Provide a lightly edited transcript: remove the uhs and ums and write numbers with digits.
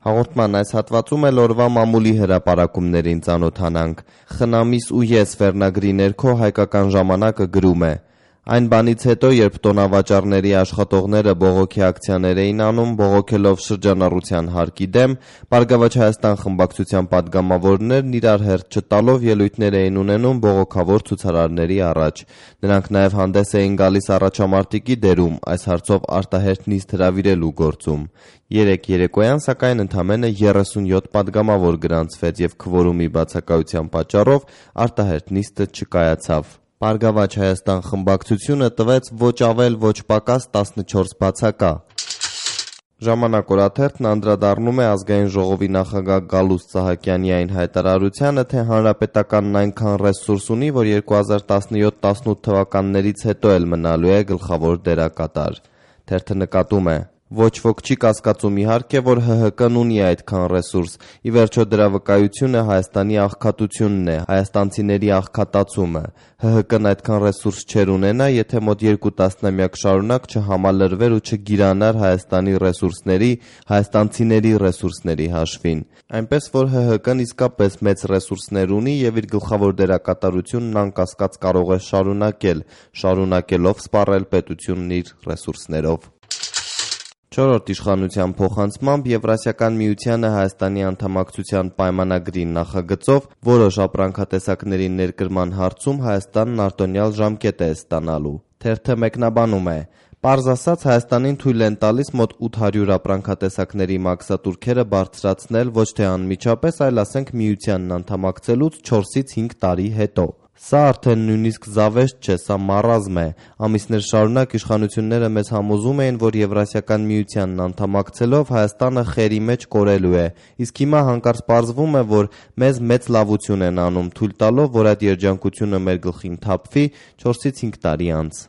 Հաղորդման այս հատվածում էլ օրվա մամուլի հրապարակումներին ծանոթանանք։ «Խնամիս ու ես» վերնագրի ներքո Հայկական ժամանակը գրում է. Այն բանից հետո, երբ տոնավաճառների աշխատողները բողոքի ակցիաներ էին անում, բողոքելով շրջանառության հարկի դեմ, Բարգավաճ Հայաստան խմբակցության պատգամավորներն իրար հերթ չտալով ելույթներ էին ունենում բողոքավոր ցուցարարների առաջ։ Նրանք նաև հանդես էին գալիս առաջամարտիկի դերում, այս հարցով արտահերթ նիստ հրավիրելու գործում։ Երեկ երեկոյան, սակայն, ընդամենը 37 պատգամավոր գրանցվեց և քվորումի բացակայության պատճառով արտահերթ նիստը չկայացավ։ Բարգավաճ Հայաստան խմբակցությունը տվեց ոչ ավել, ոչ պակաս 14 բացակա։ Ժամանակ օրաթերթն անդրադառնում է Ազգային ժողովի նախագահ Գալուստ Սահակյանի այն հայտարարությանը, թե հանրապետականն այնքան ռեսուրս ունի, որ 2017-18 թվականներից հետո էլ մնալու է գլխավոր դերակատար։ Թերթը նկատում է. Ոչ ոք չի կասկածում իհարկե, որ ՀՀԿ-ն ունի այդքան ռեսուրս, ի վերջո դրա վկայությունը Հայաստանի աղքատությունն է, հայաստանցիների աղքատացումը։ ՀՀԿ-ն այդքան ռեսուրս չէր ունենա, եթե մոտ 2 տասնամյակ շարունակ չհամալրվեր ու չգիրանար Հայաստանի ռեսուրսների, հայաստանցիների ռեսուրսների հաշվին։ Այնպես որ ՀՀԿ-ն իսկապես մեծ ռեսուրսներ ունի և իր գլխավոր դերակատարությունն անկասկած կարող է շարունակելով սպառել պետությունն իր ռեսուրսներով։ Չորրորդ իշխանության փոխանցմամբ Եվրասիական միությանը Հայաստանի անդամակցության պայմանագրի նախագծով որոշ ապրանքատեսակների ներկրման հարցում Հայաստանն արտոնյալ ժամկետ է ստանալու։ Թերթը մեկնաբանում է. Պարզ ասած, Հայաստանին թույլ են տալիս մոտ 800 ապրանքատեսակների մաքսատուրքերը բարձրացնել ոչ թե անմիջապես, այլ ասենք միությանն անդամակցելուց 4-ից 5 տարի հետո։ Սա արդեն նույնիսկ զավեշտ չէ, սա մարազմ է։ Ամիսներ շարունակ իշխանությունները մեզ համոզում էին, որ Եվրասիական միությանն անդամակցելով Հայաստանը խերի մեջ կորելու է, իսկ հիմա հանկարծ պարզվում է, որ մեզ մեծ լավություն են անում, թույլ տալով, որ այդ երջանկությունը մեր գլխին թափվի 4-ից 5 տարի անց։